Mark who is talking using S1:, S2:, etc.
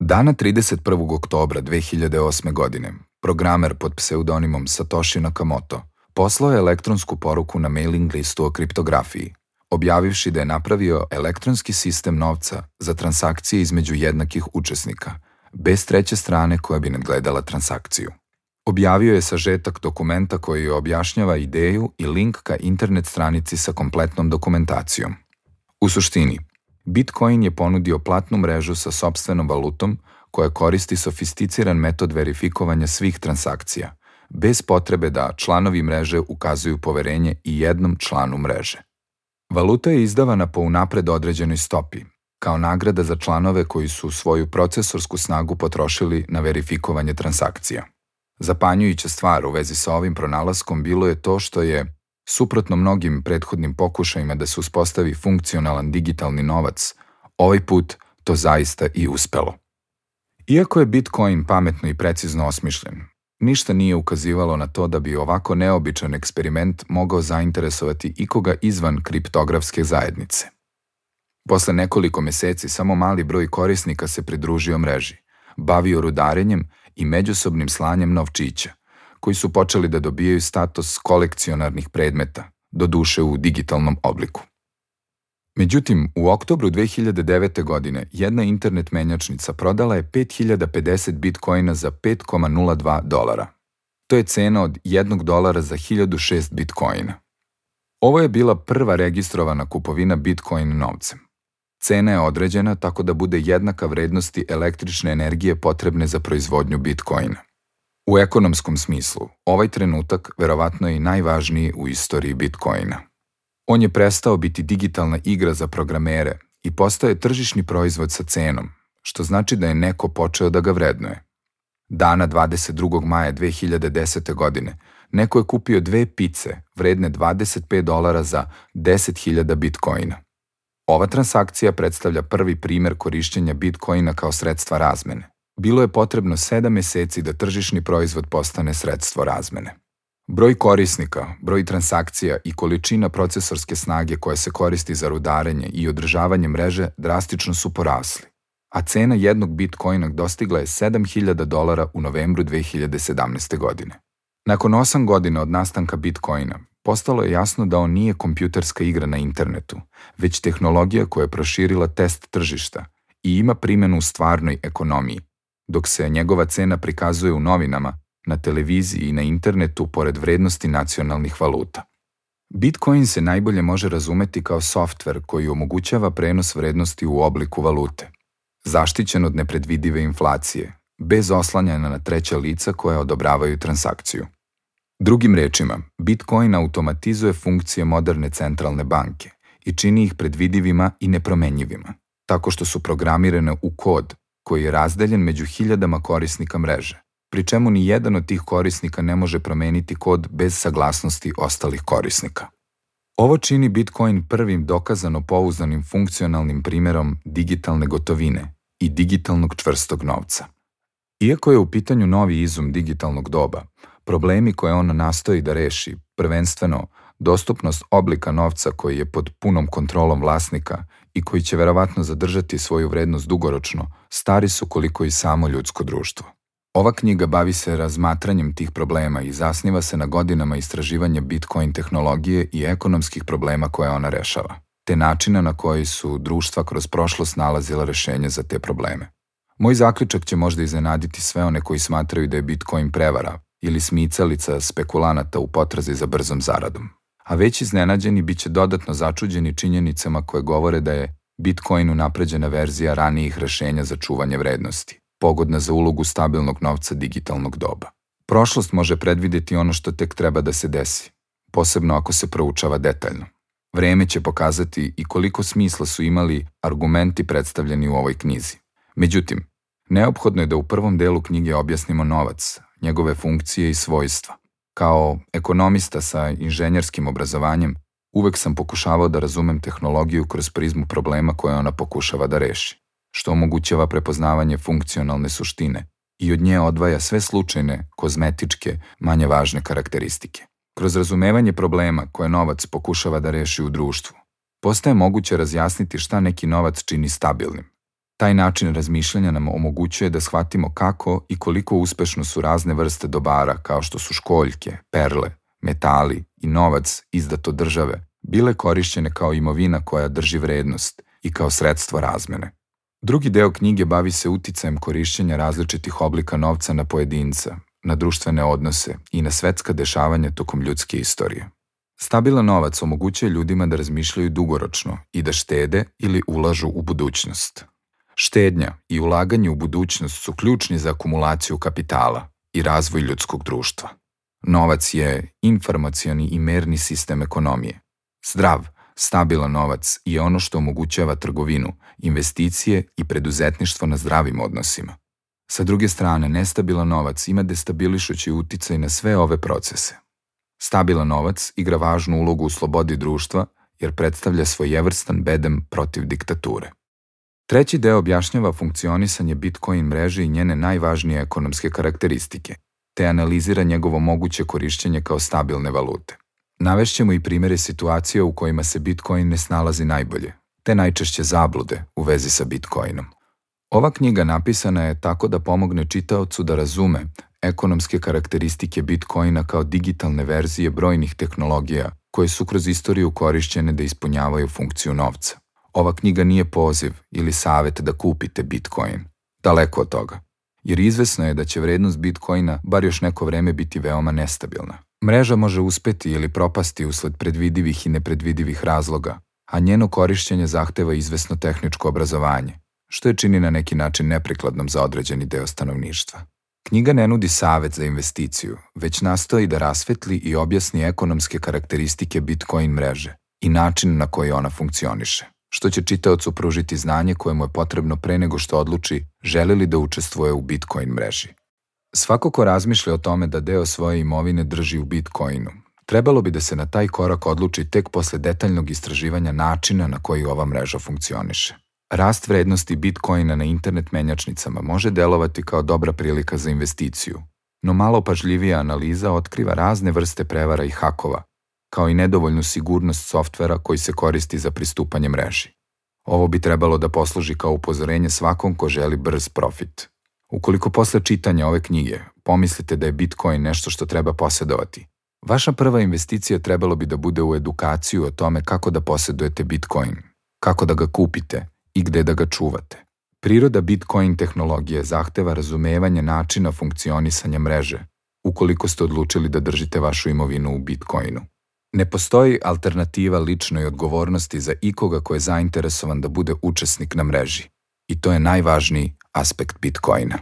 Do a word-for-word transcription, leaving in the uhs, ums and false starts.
S1: Dana trideset prvog oktobra dve hiljade osme. godine, programer pod pseudonimom Satoshi Nakamoto poslao je elektronsku poruku na mailing listu o kriptografiji, objavivši da je napravio elektronski sistem novca za transakcije između jednakih učesnika, bez treće strane koja bi nadgledala transakciju. Objavio je sažetak dokumenta koji objašnjava ideju i link ka internet stranici sa kompletnom dokumentacijom. U suštini, Bitcoin je ponudio platnu mrežu sa sopstvenom valutom koja koristi sofisticiran metod verifikovanja svih transakcija, bez potrebe da članovi mreže ukazuju poverenje i jednom članu mreže. Valuta je izdavana po unapred određenoj stopi, kao nagrada za članove koji su svoju procesorsku snagu potrošili na verifikovanje transakcija. Zapanjujuća stvar u vezi sa ovim pronalaskom bilo je to što je, suprotno mnogim prethodnim pokušajima da se uspostavi funkcionalan digitalni novac, ovaj put to zaista i uspelo. Iako je Bitcoin pametno i precizno osmišljen, ništa nije ukazivalo na to da bi ovako neobičan eksperiment mogao zainteresovati ikoga izvan kriptografske zajednice. Posle nekoliko meseci samo mali broj korisnika se pridružio mreži, bavio rudarenjem i međusobnim slanjem novčića, koji su počeli da dobijaju status kolekcionarnih predmeta, doduše u digitalnom obliku. Međutim, u oktobru dve hiljade devete. godine jedna internet menjačnica prodala je pet hiljada pedeset bitcoina za pet zarez nula dva dolara. To je cena od jednog dolara za hiljadu šest bitcoina. Ovo je bila prva registrovana kupovina bitcoin novcem. Cena je određena tako da bude jednaka vrednosti električne energije potrebne za proizvodnju bitcoina. U ekonomskom smislu, ovaj trenutak verovatno je i najvažniji u istoriji Bitcoina. On je prestao biti digitalna igra za programere i postao je tržišni proizvod sa cenom, što znači da je neko počeo da ga vrednuje. Dana dvadeset drugog maja dve hiljade desete. godine neko je kupio dve pice vredne dvadeset pet dolara za deset hiljada bitcoina. Ova transakcija predstavlja prvi primer korišćenja bitcoina kao sredstva razmene. Bilo je potrebno sedam meseci da tržišni proizvod postane sredstvo razmene. Broj korisnika, broj transakcija i količina procesorske snage koja se koristi za rudarenje i održavanje mreže drastično su porasli, a cena jednog bitcoina dostigla je sedam hiljada dolara u novembru dve hiljade sedamnaeste. godine. Nakon osam godina od nastanka bitcoina, postalo je jasno da on nije kompjuterska igra na internetu, već tehnologija koja je proširila test tržišta i ima primjenu u stvarnoj ekonomiji, dok se njegova cena prikazuje u novinama, na televiziji i na internetu pored vrednosti nacionalnih valuta. Bitcoin se najbolje može razumeti kao softver koji omogućava prenos vrednosti u obliku valute, zaštićen od nepredvidive inflacije, bez oslanjanja na treća lica koja odobravaju transakciju. Drugim rečima, Bitcoin automatizuje funkcije moderne centralne banke i čini ih predvidivima i nepromenjivima, tako što su programirane u kod koji je razdeljen među hiljadama korisnika mreže, pri čemu ni jedan od tih korisnika ne može promeniti kod bez saglasnosti ostalih korisnika. Ovo čini Bitcoin prvim dokazano pouzdanim funkcionalnim primjerom digitalne gotovine i digitalnog čvrstog novca. Iako je u pitanju novi izum digitalnog doba, problemi koje on nastoji da reši, prvenstveno dostupnost oblika novca koji je pod punom kontrolom vlasnika i koji će verovatno zadržati svoju vrednost dugoročno, stari su koliko i samo ljudsko društvo. Ova knjiga bavi se razmatranjem tih problema i zasniva se na godinama istraživanja Bitcoin tehnologije i ekonomskih problema koje ona rešava, te načina na koji su društva kroz prošlost nalazila rešenje za te probleme. Moj zaključak će možda iznenaditi sve one koji smatraju da je Bitcoin prevara ili smicalica spekulanata u potrazi za brzom zaradom. A već iznenađeni bit će dodatno začuđeni činjenicama koje govore da je Bitcoin unapređena verzija ranijih rešenja za čuvanje vrednosti, pogodna za ulogu stabilnog novca digitalnog doba. Prošlost može predvideti ono što tek treba da se desi, posebno ako se proučava detaljno. Vreme će pokazati i koliko smisla su imali argumenti predstavljeni u ovoj knjizi. Međutim, neophodno je da u prvom delu knjige objasnimo novac, njegove funkcije i svojstva. Kao ekonomista sa inženjerskim obrazovanjem, uvek sam pokušavao da razumem tehnologiju kroz prizmu problema koje ona pokušava da reši, što omogućava prepoznavanje funkcionalne suštine i od nje odvaja sve slučajne, kozmetičke, manje važne karakteristike. Kroz razumevanje problema koje novac pokušava da reši u društvu, postaje moguće razjasniti šta neki novac čini stabilnim, Taj način razmišljanja nam omogućuje da shvatimo kako i koliko uspešno su razne vrste dobara kao što su školjke, perle, metali i novac izdat od države bile korišćene kao imovina koja drži vrednost i kao sredstvo razmene. Drugi deo knjige bavi se uticajem korišćenja različitih oblika novca na pojedinca, na društvene odnose i na svetska dešavanja tokom ljudske istorije. Stabilan novac omogućuje ljudima da razmišljaju dugoročno i da štede ili ulažu u budućnost. Štednja i ulaganje u budućnost su ključni za akumulaciju kapitala i razvoj ljudskog društva. Novac je informacioni i merni sistem ekonomije. Zdrav, stabilan novac je ono što omogućava trgovinu, investicije i preduzetništvo na zdravim odnosima. Sa druge strane, nestabilan novac ima destabilišući uticaj na sve ove procese. Stabilan novac igra važnu ulogu u slobodi društva jer predstavlja svojevrstan bedem protiv diktature. Treći deo objašnjava funkcionisanje Bitcoin mreže i njene najvažnije ekonomske karakteristike, te analizira njegovo moguće korišćenje kao stabilne valute. Navešćemo i primere situacija u kojima se Bitcoin ne snalazi najbolje, te najčešće zablude u vezi sa Bitcoinom. Ova knjiga napisana je tako da pomogne čitaocu da razume ekonomske karakteristike Bitcoina kao digitalne verzije brojnih tehnologija koje su kroz istoriju korišćene da ispunjavaju funkciju novca. Ova knjiga nije poziv ili savet da kupite Bitcoin. Daleko od toga. Jer izvesno je da će vrednost Bitcoina bar još neko vreme biti veoma nestabilna. Mreža može uspeti ili propasti usled predvidivih i nepredvidivih razloga, a njeno korišćenje zahteva izvesno tehničko obrazovanje, što je čini na neki način neprikladnom za određeni deo stanovništva. Knjiga ne nudi savet za investiciju, već nastoji da rasvetli i objasni ekonomske karakteristike Bitcoin mreže i način na koji ona funkcioniše, što će čitaocu pružiti znanje koje mu je potrebno pre nego što odluči želi li da učestvuje u Bitcoin mreži. Svako ko razmišlja o tome da deo svoje imovine drži u Bitcoinu, trebalo bi da se na taj korak odluči tek posle detaljnog istraživanja načina na koji ova mreža funkcioniše. Rast vrednosti Bitcoina na internet menjačnicama može delovati kao dobra prilika za investiciju, no malo pažljivija analiza otkriva razne vrste prevara i hakova, kao i nedovoljnu sigurnost softvera koji se koristi za pristupanje mreži. Ovo bi trebalo da posluži kao upozorenje svakom ko želi brz profit. Ukoliko posle čitanja ove knjige pomislite da je Bitcoin nešto što treba posedovati, vaša prva investicija trebalo bi da bude u edukaciju o tome kako da posedujete Bitcoin, kako da ga kupite i gde da ga čuvate. Priroda Bitcoin tehnologije zahteva razumevanje načina funkcionisanja mreže, ukoliko ste odlučili da držite vašu imovinu u Bitcoinu. Ne postoji alternativa ličnoj odgovornosti za ikoga ko je zainteresovan da bude učesnik na mreži. I to je najvažniji aspekt Bitcoina.